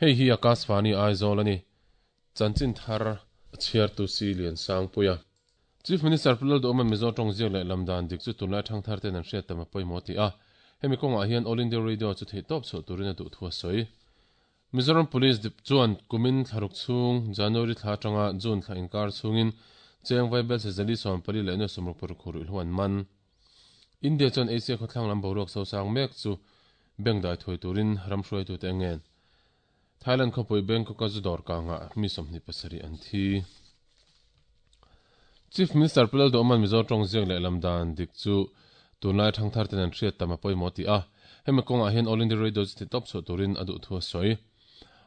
Hei hi Akashvani Aizawl a ni. Chanchin thar chhiartu si Lian Sangpuia. Chief Minister Pu Lalduhawma Mizo tawng ziak leh lam dan dik chu tunlai thang thar ten an hriat tam a pawimawh ti a. Hemi kawngah hian All India Radio chu theihtawp chhuah turin a duh thu a sawi. Mizoram Police Dep chuan kumin thlaruk chhung, January thla atanga June thla inkar chhungin cheng vaibel sezali 14 leh nuai 60 paruk ruihhlo an man. India chuan Asia khawthlang lam boruak sosang mek chu bengdai thuai turin ram hruaitute a ngen. Thailand khawpui Bangkok-a zu dawr kangah mi 27 an thi. Chief Minister Pu Lalduhawma'n Mizo tawng ziak leh lam dan dik chu tunlai thangthar ten an hriat tam a pawimawh ti a. Hemi kawngah hian All India Radio chu ti tawp chhuah turin a duh thu a sawi.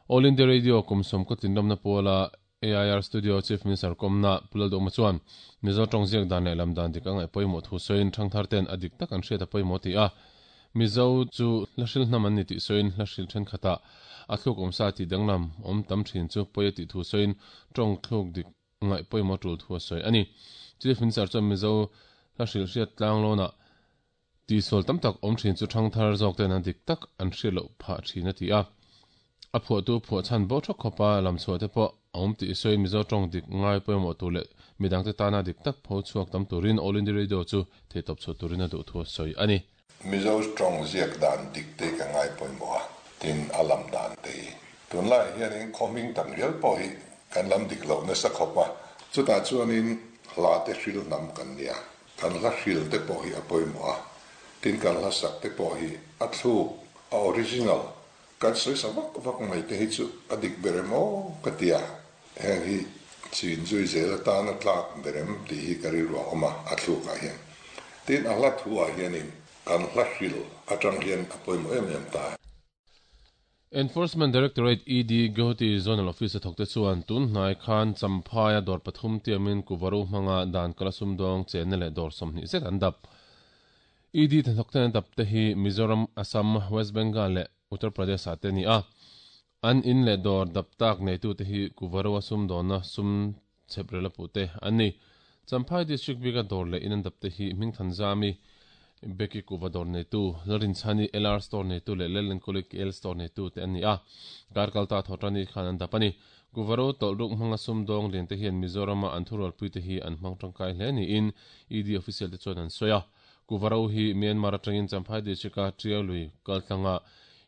All India Radio kum sawm kaw tlinramna puala AIR Studio Chief Minister kawmna Pu Lalduhawma chuan Mizo tawng ziak dan leh lam dan dik a ngaih pawimawh thu sawiin thangthar ten a dik tak an hriat a pawimawh ti a. Mizo chu hla hril hnam an ni tih sawiin hla hril thenkhatah a thluk awmsa tih danglam awm tam thin chu pawi a tih thu sawiin tawng thluk dik ngaih pawimawh tul thu a sawi a ni. Chief Minister chuan Mizo hla hrilh hriat tlang lawnah tihsual tam tak awm thin chu thangthar zawk ten a dik tak an hriat loh phah thin a ti a. A phuahtu phuah chhan bo thawk khawpa lam chhuah te pawh a awm tih sawiin Mizo tawng dik ngai pawimawh tur leh midangte tana dik tak pho chhuak tam turin All India Radio chu theihtawp chhuah turin a duh thu a sawi a ni. Mizo tawng ziak dan dik te ka ngai pawimawh a, tin a lam dan te hi. Tunlaiah hianin khaw hming tam rial pawh hi kan lam dik loh nasa khawp a, chutah chuanin hla te hril hnam kan nia, kan hla hril te pawh hi a pawimawh a, tin kan hla sak te pawh hi a thluk, a original, kan sawi sa vak vak mai te hi chu a dik ber em aw ka ti a, heng hi chin zui zel atana tlak ber em tih hi ka rilru a awm a, a thlukah hian. Tin a hla thu ah hianin kan hla hril atang hian a pawimawh em em ta. Enforcement Directorate, ED, Guwahati Zonal Office a thawkte chuan tun hnai khan Champhaia dawr pathum tiamin Kuvaru hmanga dan kala sumdawng chenna leh dawr 20 zet an dap. ED hnathawkten an dap te hi Mizoram, Assam, West Bengal leh Uttar Pradesh ah te a ni a. An in leh dawr dap tak neitute hi Kuvaru-a sumdawnna sum chhep rel a puh te an ni. Champhai District bika dawr leh in an dap te hi Hmingthanzami, Becky Kuva dawr neitu, Lalrinchhani LR Store neitu leh Lalenkawli KL Store neitu te an ni a. Kar kalta Thawhṭani khan an dap a ni. Kuvaru tawlhruk hmanga sumdawng lian te hian Mizorama an thurualpui te hi an hmang tangkai hle niin ED official te chuan an sawi a. Kuvaru hi Myanmar atangin Champhai District-a Tiau lui kaltlanga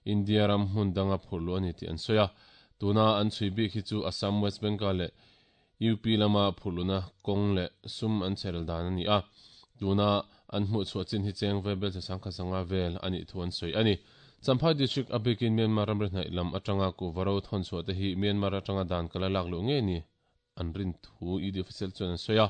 India ram hmun danga phurh luh a ni tih an sawi a. Tuna an chhui bik hi chu Assam, West Bengal leh UP lama phurh luhna kawng leh sum an chherel dan a ni a. Tuna an hmuh chhuah chin hi cheng ve bel sangkhat sanga vel a nih thu an sawi a ni. Champhai District a bikin Myanmar ramri hnaih lam atanga kuhva ro thawn chhuah te hi Myanmar atanga dan kala lak luh ngei ni an rin thu ED official chuan an sawi a.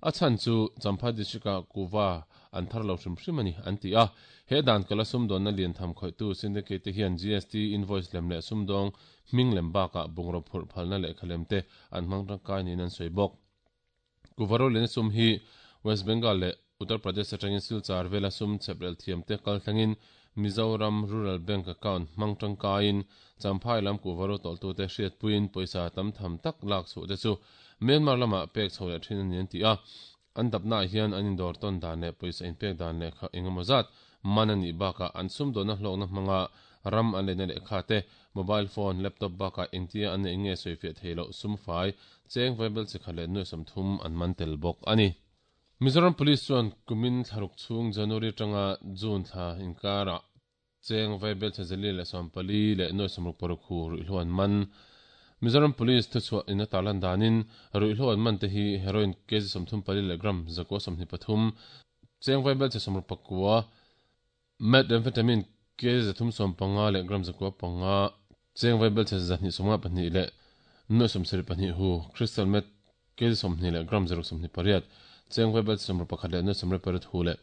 A chhan chu Champhai District-ah kuhva an thar lo hrim hrim a ni, an ti a. He dan kala sumdawnna lian tham khawihtu syndicate te hian GST invoice lem leh sumdawng hming lem bakah bungraw phurh phalna lehkha lem te an hmang tangkai niin an sawi bawk. Kuhva roliana sum hi West Bengal leh Uttar Pradesh atangin Silchar vela sum chheprel thiamte kal thlengin Mizoram Rural Bank account hmang tangkaiin Champhai lam kuhva ro tawlhtute hriatpuiin pawisa tam tham tak lak chhuah te chu Myanmar lamah pek chho leh thin a ni an ti a. An dapnaah hian an indawr tawn dan leh pawisa inpek dan lehkha eng emaw zat man a nih bakah an sumdawnna hlawkna hmanga ram an leina lehkha te, mobile phone, laptop bakah engtia an neih nge sawifiah thei loh sumfai, cheng vaibel chikhat leh nuai 30 an man tel bawk a ni. Mizoram Police chuan kumin thlaruk chhung January atanga June thla inkarah cheng vaibel chhe zali leh 14 leh nuai 66 hu ruihhlo an man. Mizoram Police thuchhuah in a tarlan danin ruihhlo an man te hi heroin kg 34 leh gram 123, cheng vaibel chhe 69, methamphetamine kg 315 leh gram 905, cheng vaibel chhe 254 leh nuai 74 hu, crystal meth kg 20 leh gram 628, cheng vaibel chhe 61 leh nuai 18 hu leh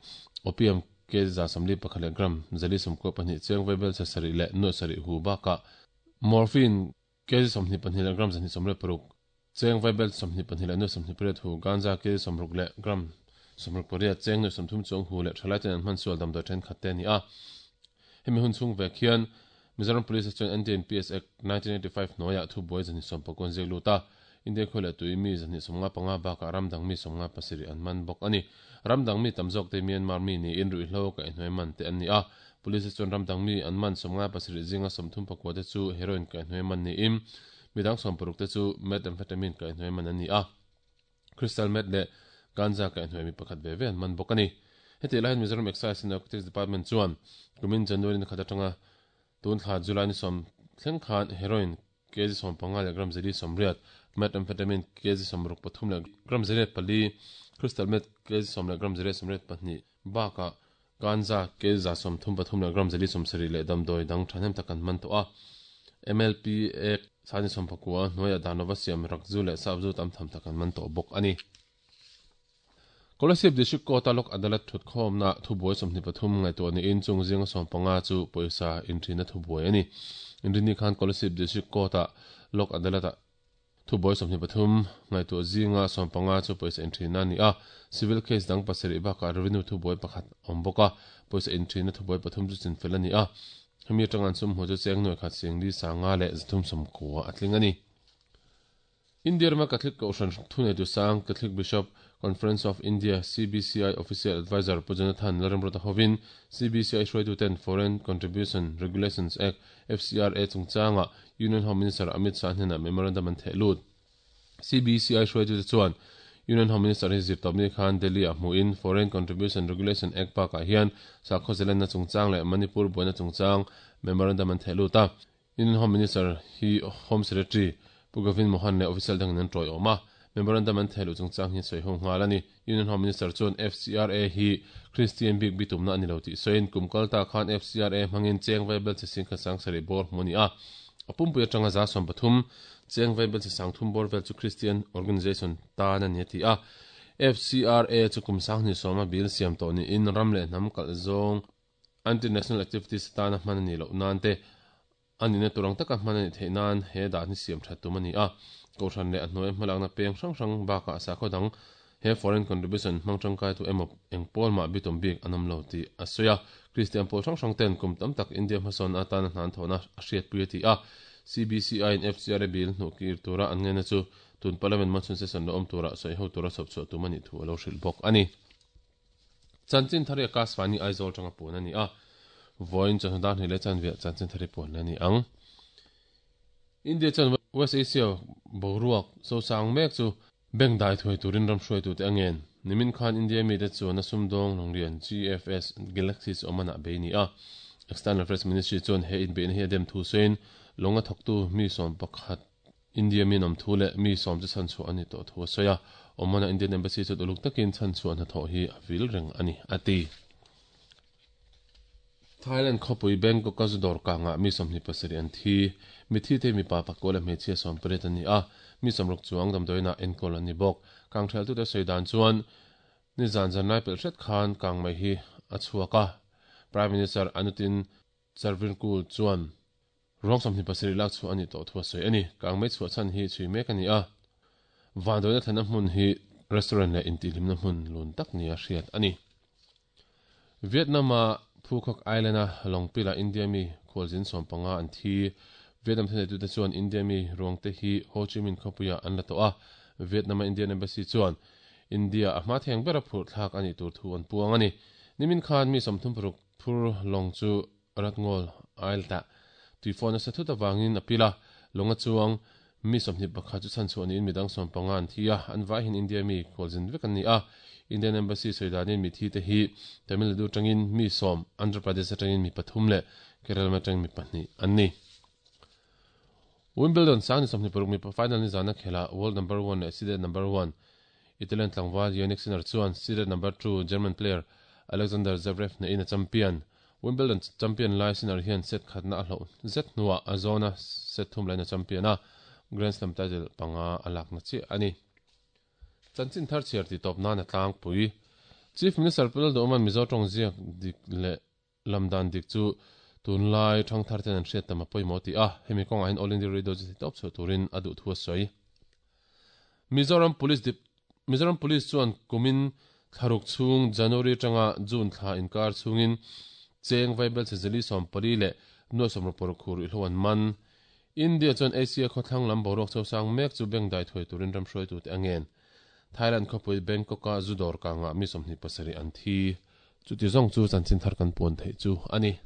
opium kg 141 leh gram 492, cheng vaibel chhe 7 leh nuai 7 hu bakah morphine kg 22 leh gram 216, cheng vaibel 22 leh nuai 28 hu, ganja kg 60 leh gram 68, cheng nuai 30 chuang hu leh thalai ten an hman sual damdawi thenkhat te a ni a. Hemi hun chhung vek hian Mizoram Police chuan NDNPS Act 1985 hnuaiah thubuai 219 ziak lut a. India khawi leh tui mi 255 bakah ram dang mi 57 an man bawk a ni. Ram dang mi tam zawk te Myanmar mi niin ruihhlo kaihhnuai man te an ni a. Police te chuan ram dang mi an man 57 zinga 34 te chu heroin kaihhnuai man niin midang 60 te chu methamphetamine kaihhnuai man an ni a. Crystal meth leh ganja kaihhnuai mi pakhat ve ve an man bawk a ni. Hetiang lai hian Mizoram Excise and Narcotics Department chuan kumin January ni khat atanga Tun thla July ni sawm thleng khan heroin kg 15 leh gram 180, methamphetamine kg 63 leh gram 104, crystal meth kg 10 leh gram 82 bakah ganja kg 133 leh gram 70 leh damdawi dang thahnem tak an man tawh a. MLP Act sani 19 hnuaiah dan lova siam rakzu leh sapzu tam tham tak an man tawh bawk a ni. Kolasib District Court-a Lok Adalat thutkhawmna thubuai 23 ngaihtuah niin chung zinga 15 chu pawisa inthina thubuai a ni. Inrinni khan Kolasib District Court-a Lok Adalat-a thubuai 23 ngaihtuah zinga 15 chu pawisa inthina a ni a, civil case dang pasarih bakah revenue thubuai pakhat a awm bawk a, pawisa inthina thubuai pathum chu chinfel a ni a, hemi atanga an sum hmuh chu cheng nuai khat sing li sanga leh 390 a tling a ni. India rama Catholic Kohhran thuneitu sang Catholic Bishop Conference of India, CBCI, Official Adviser Pu Jonathan Lalremruata hovin CBCI hruaituten Foreign Contribution Regulations Act, FCRA, chungchanga Union Home Minister Amit Shah hnenah memorandum an theh lut. CBCI hruaitute chuan Union Home Minister hi zirtawpni khan Delhi-ah hmuhin Foreign Contribution Regulation Act bakah hian sakhaw zelenna chungchang leh Manipur buaina chungchang memorandum an theh lut a. Union Home Minister hi Home Secretary Pu Gavin Mohan leh official dangin an tawiawm a, memorandum an thehluh chungchang hi sawi ho nghal a ni. Union Home Minister chuan FCRA hi Christian bik bitumna a ni lo tih sawiin kum kal ta khan FCRA hmangin cheng vaibel che sing kha sang sarih bawr hmu a ni a, a pumpui atanga 13% cheng vaibel che sang thum bawr vel chu Christian organisation tan a ni a ti a. FCRA chu kum sanghnih sawma bill siam tawh niin ram leh hnam kalh zawng Anti-national activities atana hman a nih loh nan te, a nihna tur ang taka hman a nih theih nan he dan hi siam that tum a ni a. Kohhran leh a hnuai hmalakna peng hrang hrang bakah sakhaw dang he foreign contribution hmang tangkaitu emaw eng pawl mah bitum bik an awm lo tih a sawi a. Kristian pawl hrang hrang ten kum tam tak India hmasawnna atana hna an thawhna a hriatpui a ti a. CBCI in FCRA bill hnuh kir tura an ngaihna chu tun Parliament monsoon session lo awm tura sawi ho tura chhawp chhuah tum a nih thu a lo hrilh bawk a ni. Chanchin thar hi Akashvani Aizawl tanga puan a ni a, vawiin chawhnu dar hnih leh chanveah chanchin thar hi puan a ni ang. India chuan West Asia boruak sosang mek chu bank dai thuai turin ram hruaitute a ngen. Nimin khan India mite chuan a sumdawng lawnglian GFS Galaxy chu Oman-ah bei a ni a. External Affairs Ministry chuan he inbeihna hi a dem thu sawiin lawnga thawktu mi 11 India mi nawm thu leh mi sawm chu chhanchhuah a ni tawh thu a sawi a, Oman-a Indian Embassy chuan uluk takin chhanchhuah hnathawh hi a vil reng a ni, a ti. Thailand khawpui Bangkok-a zu dawr kangah mi 27 an thi. Mithi te hi mipa pakua leh hmeichhia 18 an ni a, mi 60 chuang damdawiinah enkawl an ni bawk. Kangtheltute sawi dan chuan nizan zanlai pelh hret khan kang mai hi a chhuak a, Prime Minister Anutin Charvirkul chuan ruang 27 lak chhuah a nih tawh thu a sawi a ni. Kangmei chhuah chhan hi chhui mek a ni a, vanduaina thlenna hmun hi restaurant leh intihhlimna hmun lun tak nia hriat a ni. Vietnam-a Phu Quoc Island-a lawngpilah India mi khualzin 15 an thi. Vietnam thuneitute chuan India mi ruangte hi Ho Chi Minh khawpuiah an la tawh a, Vietnam-a Indian Embassy chuan India a hma theng bera phurh thlak a nih tur thu an puang a ni. Nimin khan mi 36 Phur lawng chu Ratngawl Isle-ah tuifawn nasa thut avangin a pil a, lawng a chuang mi 21 chu chhanchhuah niin midang 15 an thi a, an vaihin India mi khualzin vek an ni a. Indian Embassy sawi danin mithi te hi Tamil Nadu atangin mi sawm, Andhra Pradesh atangin mi pathum leh Kerala atangin mi pahnih an ni. Wimbledon sang ni 26 mipa final nizana khelhah world number one leh seeded number one Italian tlangval Jannik Sinner chuan seeded number two German player Alexander Zverev hnehin a champion. Wimbledon champion lai Sinner hian set khatna a hloh zet hnuah a zawna set thum lain a champion a, Grand Slam title panga a lakna chiah a ni. Chanchin thar chhiar tih tawp nan a tlangpui. Chief Minister Pu Lalduhawma'n Mizo tawng ziak dik leh Lam dan dik chu tunlai thangthar ten an hriat tam a pawimawh tih a, hemi kawngah hian All India Radio chu titawp chhuah turin a duh thu a sawi. Mizoram Police Dep Mizoram Police chuan kumin thlaruk chhung January atanga June thla inkar chhungin cheng vaibel chhe zeli 14 leh nuai 66 khur ihlo an man. India chuan Asia khawthlang lam boruak chosang mek chu bengdai thuai turin ram hruaitute a ngen. Thailand khawpui Bangkok-a zu dawr kangah mi 27 an thi. Chuti zawng chu chanchin thar kan puan theih chu a ni.